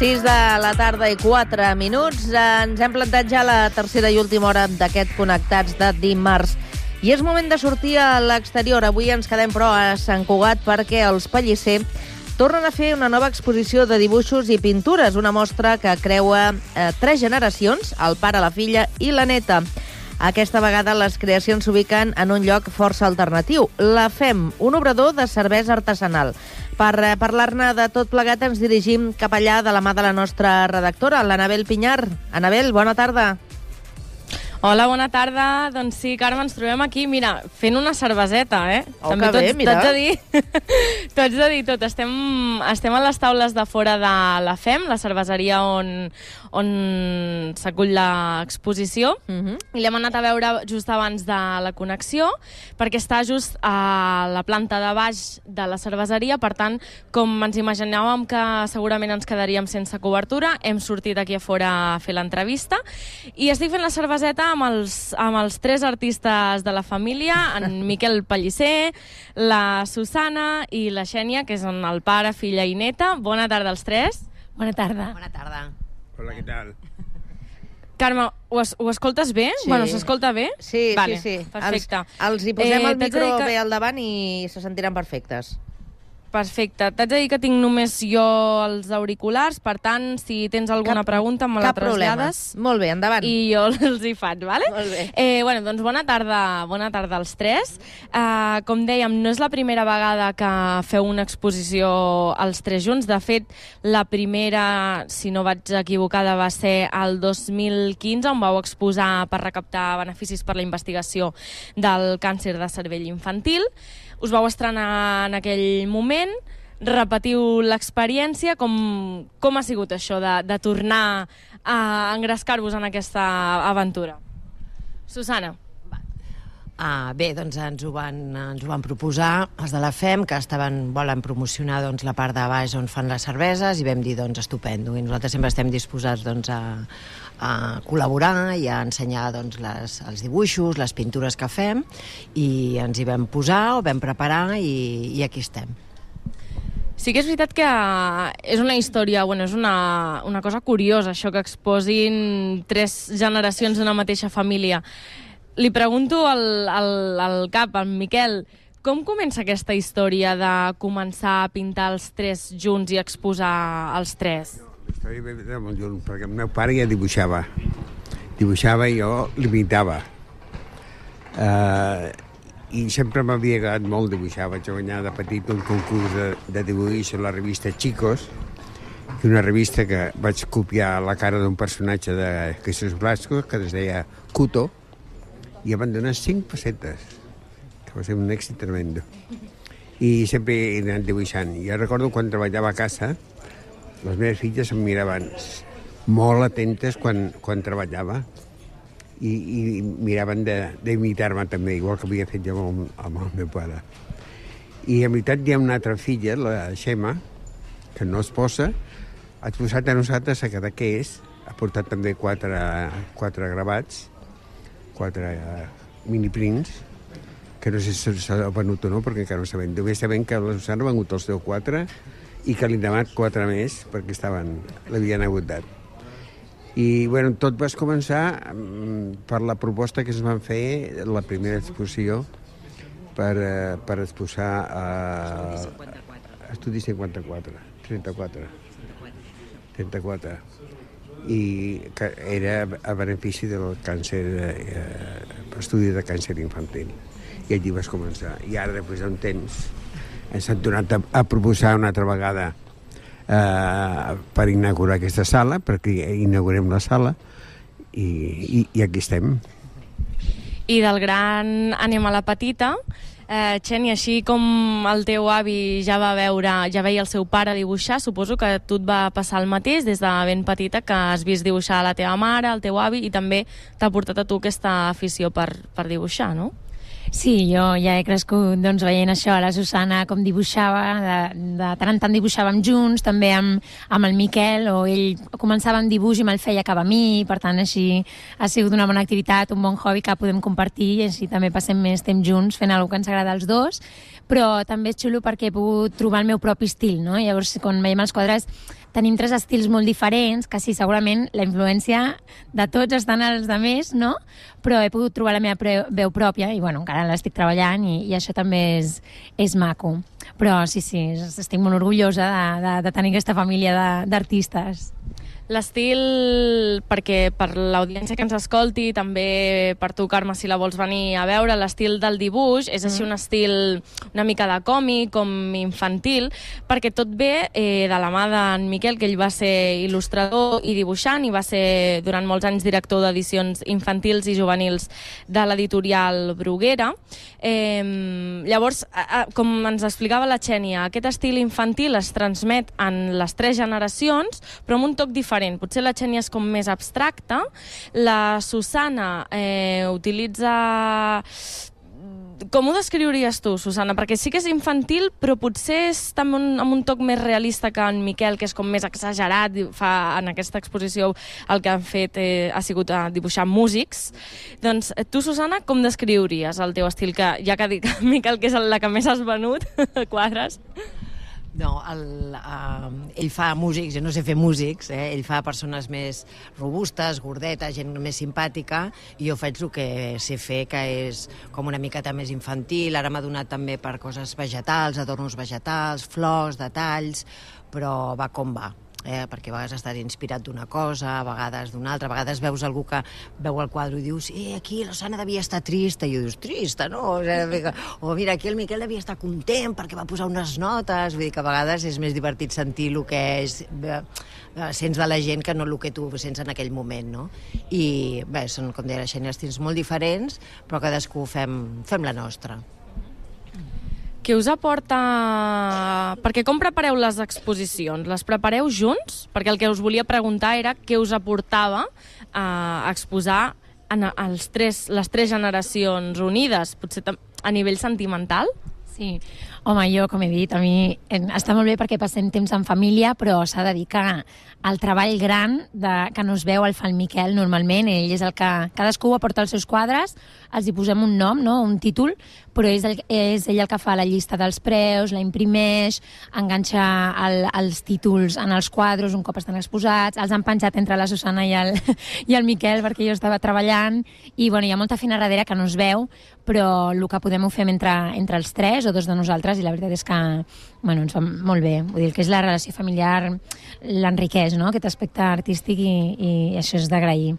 6 de la tarda i 4 minuts. Ens hem plantat ja la tercera i última hora d'aquest Connectats de dimarts. I és moment de sortir a l'exterior. Avui ens quedem, però, a Sant Cugat perquè els Pellicer tornen a fer una nova exposició de dibuixos i pintures, una mostra que creua 3 generacions, el pare, la filla i la neta. Aquesta vegada les creacions s'ubiquen en un lloc força alternatiu, la FEM, un obrador de cervesa artesanal. Per parlar-ne de tot plegat ens dirigim cap allà de la mà de la nostra redactora, l'Anabel Pinyar. Anabel, bona tarda. Hola, bona tarda. Doncs sí, Carme, ens trobem aquí, mira, fent una cerveseta, eh? Oh, també que bé, mira. T'haig de dir tot. Estem a les taules de fora de la FEM, la cerveseria on s'acull l'exposició, i l'hem anat a veure just abans de la connexió, perquè està just a la planta de baix de la cerveseria, per tant, com ens imaginàvem que segurament ens quedaríem sense cobertura, hem sortit aquí a fora a fer l'entrevista, i estic fent la cerveseta amb els 3 artistes de la família, en Miquel Pellicer, la Susana i la Xènia, que són el pare, filla i neta. Bona tarda als 3. Bona tarda. Bona tarda. Hola, què tal? Carme, ho escoltes bé? Sí. Bueno, s'escolta bé? Sí, vale, sí. Perfecte. Els hi posem el micro bé al davant i se sentiran perfectes. Perfecte. T'haig de dir que tinc només jo els auriculars, per tant, si tens alguna pregunta me la trasllades. Molt bé, endavant. I jo els hi faig, vale? Molt bé. Doncs bona tarda als 3. Com dèiem, no és la primera vegada que feu una exposició els 3 junts. De fet, la primera, si no vaig equivocada, va ser el 2015, on vau exposar per recaptar beneficis per la investigació del càncer de cervell infantil. Us vau estrenar en aquell moment, repetiu l'experiència. Com ha sigut això de tornar a engrescar-vos en aquesta aventura? Susana. Bé, doncs ens ho van proposar els de la FEM, que volen promocionar la part de baix on fan les cerveses, i vam dir, estupendo. I nosaltres sempre estem disposats a col·laborar i a ensenyar els dibuixos, les pintures que fem, i ens hi vam posar, ho vam preparar i aquí estem. Sí que és veritat que és una història, és una cosa curiosa, això que exposin 3 generacions d'una mateixa família. Li pregunto al cap, al Miquel, com comença aquesta història de començar a pintar els 3 junts i exposar els 3? La història ve molt lluny, perquè el meu pare ja dibuixava. Dibuixava i jo l'imitava. I sempre m'havia agradat molt dibuixar. Vaig guanyar de petit un concurs de dibuix a la revista Chicos, que una revista que vaig copiar la cara d'un personatge de Jesús Blasco, que es deia Cuto, i em van donar 5 pessetes, que va ser un èxit tremendo. I sempre he anat dibuixant. I jo recordo quan treballava a casa, les meves filles em miraven molt atentes quan treballava i miraven d'imitar-me també, igual que havia fet jo amb el meu pare. I en veritat hi ha una altra filla, la Xema, que no es posa, ha posat a nosaltres a Cadaqués, ha portat també 4 gravats, 4 miniprints, que no sé si s'ha venut o no, perquè encara no sabem. Només sabem que la Susana ha venut els 4 i que li han demanat 4 més perquè l'havien agotat. I tot va començar per la proposta que es van fer la primera exposició per exposar a Estudi 34, i que era a benefici del càncer, estudi de càncer infantil. I allí vas començar. I ara, després d'un temps, ens han tornat a proposar una altra vegada per inaugurar aquesta sala, perquè inaugurem la sala, i aquí estem. I del gran anem a la petita. Xènia, així com el teu avi ja veia el seu pare dibuixar, suposo que a tu et va passar el mateix des de ben petita, que has vist dibuixar la teva mare, el teu avi, i també t'ha portat a tu aquesta afició per dibuixar, no? Sí, jo ja he crescut veient això, la Susana com dibuixava, de tant en tant dibuixàvem junts, també amb el Miquel, o ell començava amb dibuix i me'l feia cap a mi, per tant així ha sigut una bona activitat, un bon hobby que podem compartir i així també passem més temps junts fent alguna cosa que ens agrada als dos, però també és xulo perquè he pogut trobar el meu propi estil, no? Llavors, quan veiem els quadres, tenim 3 estils molt diferents, que sí, segurament la influència de tots estan als de més, no? Però he pogut trobar la meva veu pròpia i, bueno, encara l'estic treballant i això també és maco. Però sí, estic molt orgullosa de tenir aquesta família d'artistes. L'estil, perquè per l'audiència que ens escolti, també per tu, Carme, si la vols venir a veure, l'estil del dibuix és així un estil una mica de còmic, com infantil, perquè tot ve de la mà d'en Miquel, que ell va ser il·lustrador i dibuixant i va ser durant molts anys director d'edicions infantils i juvenils de l'editorial Bruguera. Llavors, com ens explicava la Xènia, aquest estil infantil es transmet en les 3 generacions, però amb un toc diferent. Potser la Xènia és com més abstracta, la Susana utilitza... Com ho descriuries tu, Susana? Perquè sí que és infantil, però potser és també amb un toc més realista que en Miquel, que és com més exagerat. En aquesta exposició el que han fet ha sigut dibuixar músics. Doncs tu, Susana, com descriuries el teu estil? Que ja que ha dit Miquel que és la que més has venut, quadres... No, ell fa músics, jo no sé fer músics, ell fa persones més robustes, gordetes, gent més simpàtica, i jo faig el que sé fer, que és com una miqueta més infantil. Ara m'ha donat també per coses vegetals, adornos vegetals, flors, detalls, però va com va. Perquè a vegades estàs inspirat d'una cosa, a vegades d'una altra, a vegades veus algú que veu el quadre i dius aquí la Susana devia estar trista, i dius, trista, no? O mira, aquí el Miquel devia estar content perquè va posar unes notes, vull dir que a vegades és més divertit sentir el que sents de la gent que no el que tu sents en aquell moment, no? I bé, són, com deia la Xènia, estils molt diferents, però cadascú fem la nostra. Què us aporta... Perquè com prepareu les exposicions? Les prepareu junts? Perquè el que us volia preguntar era què us aportava a exposar les 3 generacions unides, potser a nivell sentimental? Sí, home, jo, com he dit, a mi està molt bé perquè passem temps en família, però s'ha de dir que el treball gran que no es veu el fa el Miquel normalment. Ell és el que... Cadascú aporta els seus quadres, els hi posem un nom, no? Un títol, però és ell el que fa la llista dels preus, la imprimeix, enganxa els títols en els quadres un cop estan exposats, els han penjat entre la Susana i el Miquel perquè jo estava treballant, i bueno, hi ha molta feina darrere que no es veu, però el que podem ho fem entre els 3 o 2 de nosaltres, i la veritat és que bueno, ens va molt bé. Vull dir que és la relació familiar, l'enriqueix, no? Aquest aspecte artístic, i això és d'agrair.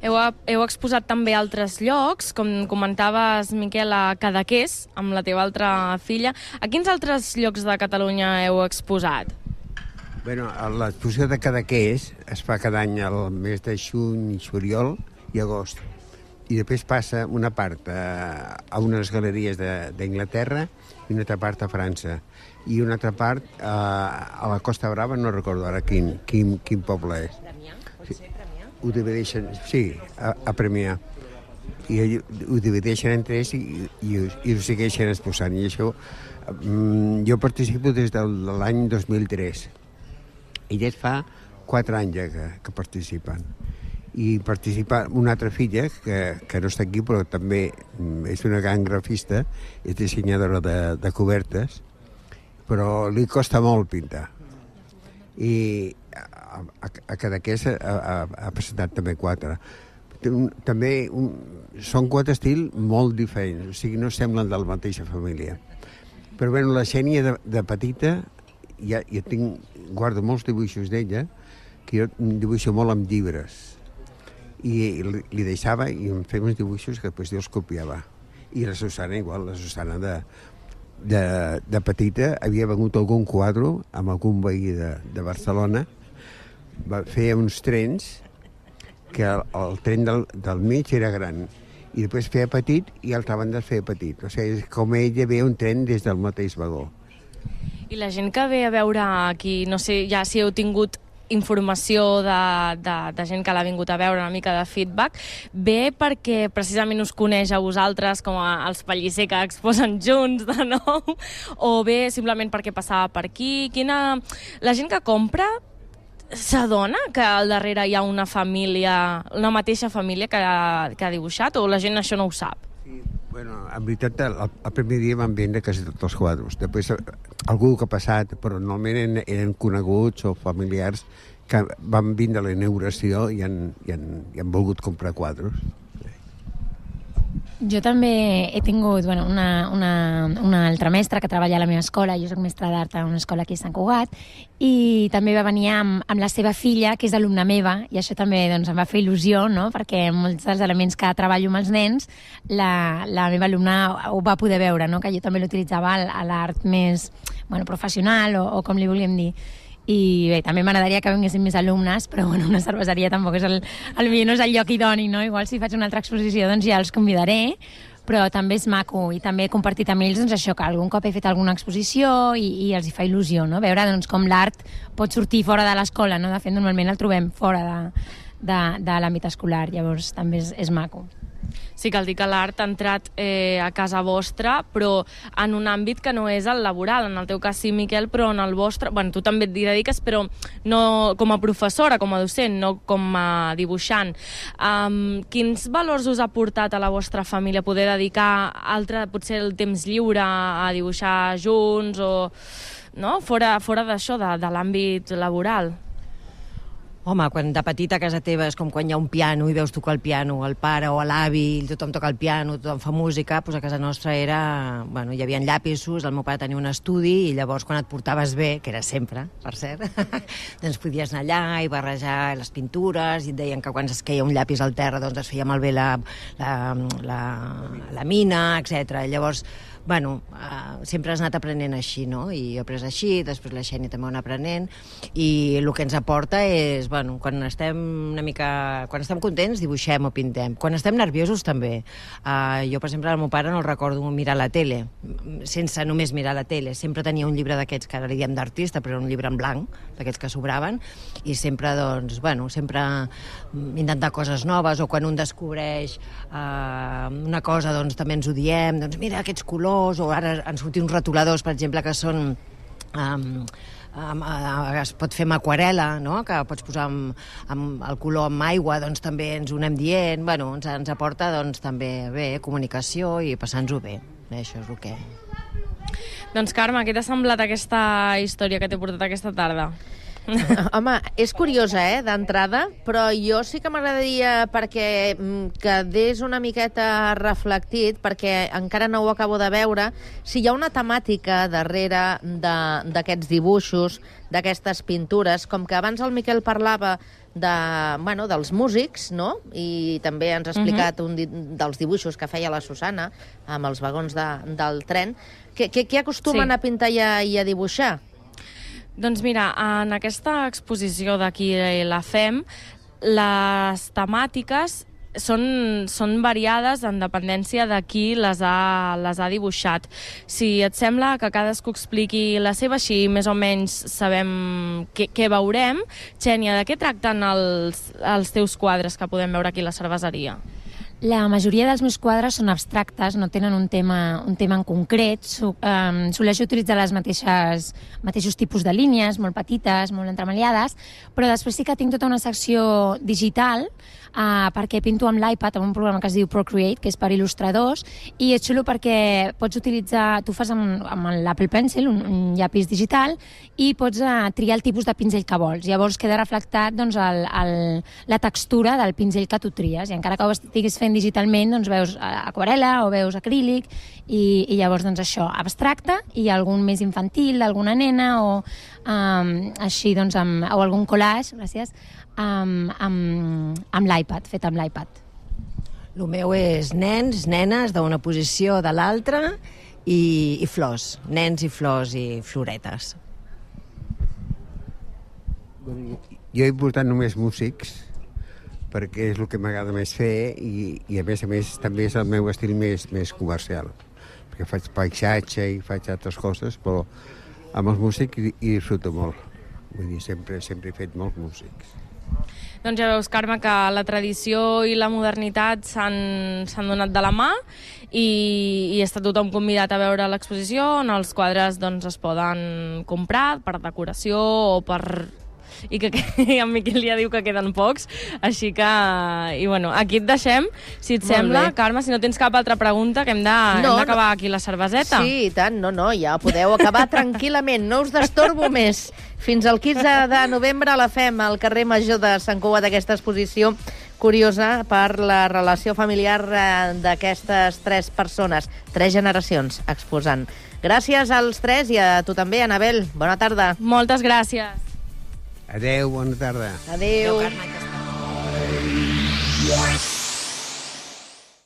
Heu exposat també a altres llocs, com comentaves, Miquel, a Cadaqués, amb la teva altra filla. A quins altres llocs de Catalunya heu exposat? Bueno, l'exposició de Cadaqués es fa cada any al mes de juny, juliol i agost. I després passa una part a unes galeries d'Anglaterra i una altra part a França. I una altra part a la Costa Brava, no recordo ara quin poble és. Premià? Pot ser Premià? Ho divideixen, sí, a Premià. I ho divideixen en 3 i ho segueixen exposant. I això, jo participo des de l'any 2003. I ja fa 4 anys que participen. I participa una altra filla, que no està aquí, però també és una gran grafista, és dissenyadora de cobertes, però li costa molt pintar. I a Cadaqués ha presentat també 4. També són 4 estils molt diferents, o sigui, no semblen de la mateixa família. Però bé, la Xènia de petita, jo guardo molts dibuixos d'ella, que jo dibuixo molt amb llibres, i li deixava i em feia uns dibuixos que després jo els copiava. I la Susana igual, la Susana de petita havia vengut algun quadre amb algun veí de Barcelona, feia uns trens que el tren del mig era gran i després feia petit i l'altra banda feia petit. O sigui, com ella veia un tren des del mateix vagó. I la gent que ve a veure aquí, no sé ja si heu tingut informació de gent que l'ha vingut a veure, una mica de feedback, ve perquè precisament us coneix a vosaltres com els Pellicer que exposen junts de nou, o ve simplement perquè passava per aquí? La gent que compra s'adona que al darrere hi ha una família, una mateixa família que ha dibuixat, o la gent això no ho sap? Sí, Bueno, en veritat, el primer dia van vendre quasi tots els quadres. Després, algú que ha passat, però normalment eren coneguts o familiars que van vindre a la inauguració i han volgut comprar quadres. Jo també he tingut una altra mestra que treballa a la meva escola. Jo soc mestra d'art a una escola aquí a Sant Cugat, i també va venir amb la seva filla, que és alumna meva, i això també em va fer il·lusió, no? Perquè molts dels elements que treballo amb els nens, la meva alumna ho va poder veure, no? Que jo també l'utilitzava a l'art més professional o com li volíem dir. I bé, també m'agradaria que vinguessin més alumnes, però una cerveseria tampoc és potser no és el lloc idoni, no? Igual si faig una altra exposició doncs ja els convidaré, però també és maco, i també he compartit amb ells això, que algun cop he fet alguna exposició i els hi fa il·lusió, no? Veure com l'art pot sortir fora de l'escola, no? De fet, normalment el trobem fora de l'àmbit escolar, llavors també és maco. Sí, cal dir que l'art ha entrat a casa vostra, però en un àmbit que no és el laboral. En el teu cas sí, Miquel, però en el vostre... Bueno, tu també et dediques, però no com a professora, com a docent, no com a dibuixant. Quins valors us ha portat a la vostra família poder dedicar potser el temps lliure a dibuixar junts o no? Fora d'això, de l'àmbit laboral? Home, quan de petita a casa teva és com quan hi ha un piano i veus tocar el piano, el pare o l'avi, tothom toca el piano, tothom fa música, doncs a casa nostra era... Bueno, hi havia llapisos, el meu pare tenia un estudi, i llavors quan et portaves bé, que era sempre, per cert, doncs podies anar allà i barrejar les pintures, i et deien que quan es queia un llapis al terra doncs es feia malbé la mina, etc. Llavors, bueno, sempre has anat aprenent així, no? I jo he après així, després la Xènia també ho ha anat aprenent, i el que ens aporta és, bueno, quan estem contents dibuixem o pintem, quan estem nerviosos també. Jo, per exemple, al meu pare no el recordo mirar la tele, sense només mirar la tele, sempre tenia un llibre d'aquests que ara li diem d'artista, però un llibre en blanc, d'aquests que sobraven, i sempre, doncs, bueno, sempre intentar coses noves, o quan un descobreix una cosa, doncs també ens ho diem, doncs mira aquests colors, o ara han sortit uns retoladors, per exemple, que són... es pot fer amb aquarel·la, no? Que pots posar el color amb aigua, doncs també ens ho anem dient. Bueno, ens aporta doncs, també bé, comunicació i passar-nos-ho bé. Això és el que... Doncs Carme, què t'ha semblat aquesta història que t'he portat aquesta tarda? Home, és curiosa, d'entrada, però jo sí que m'agradaria perquè quedés una miqueta reflectit, perquè encara no ho acabo de veure, si hi ha una temàtica darrere d'aquests dibuixos, d'aquestes pintures, com que abans el Miquel parlava dels músics, no? I també ens ha explicat un dels dibuixos que feia la Susana amb els vagons del tren. Què acostumen a pintar i a dibuixar? Doncs mira, en aquesta exposició d'aquí la FEM, les temàtiques són variades en dependència de qui les ha dibuixat. Si et sembla que cadascú expliqui la seva, així més o menys sabem què veurem. Xènia, de què tracten els teus quadres que podem veure aquí a la cerveseria? La majoria dels meus quadres són abstractes, no tenen un tema en concret. Soleixo utilitzar els mateixos tipus de línies, molt petites, molt entremaliades, però després sí que tinc tota una secció digital, perquè pinto amb l'iPad, amb un programa que es diu Procreate, que és per il·lustradors, i és xulo perquè pots utilitzar, tu fas amb l'Apple Pencil, un llapis digital, i pots triar el tipus de pinzell que vols. Llavors queda reflectat la textura del pinzell que tu tries, i encara que ho estiguis fent digitalment, doncs veus aquarel·la o veus acrílic, i llavors doncs això, abstracte, i algun més infantil, alguna nena, o així, doncs, o algun collage, gràcies, amb l'iPad, fet amb l'iPad. El meu és nens, nenes, d'una posició de l'altra, i flors, nens i flors i floretes. Jo he portat només músics, perquè és el que m'agrada més fer, i a més també és el meu estil més comercial, perquè faig paisatge i faig altres coses, però amb els músics hi disfruto molt. Vull dir, sempre he fet molts músics. Doncs ja veus, Carme, que la tradició i la modernitat s'han donat de la mà, i està tothom convidat a veure l'exposició, on els quadres doncs, es poden comprar per decoració o per i que en Miquel ja diu que queden pocs, així que... I bueno, aquí et deixem, si et sembla, Carme, si no tens cap altra pregunta, que hem d'acabar aquí la cerveseta. Sí, i tant, no, ja podeu acabar tranquil·lament, no us destorbo més. Fins al 15 de novembre la fem al carrer Major de Sant Cugat, aquesta exposició curiosa per la relació familiar d'aquestes 3 persones, 3 generacions exposant. Gràcies als 3 i a tu també, Anabel. Bona tarda. Moltes gràcies. Adéu, bona tarda. Adéu. Adéu, Carme.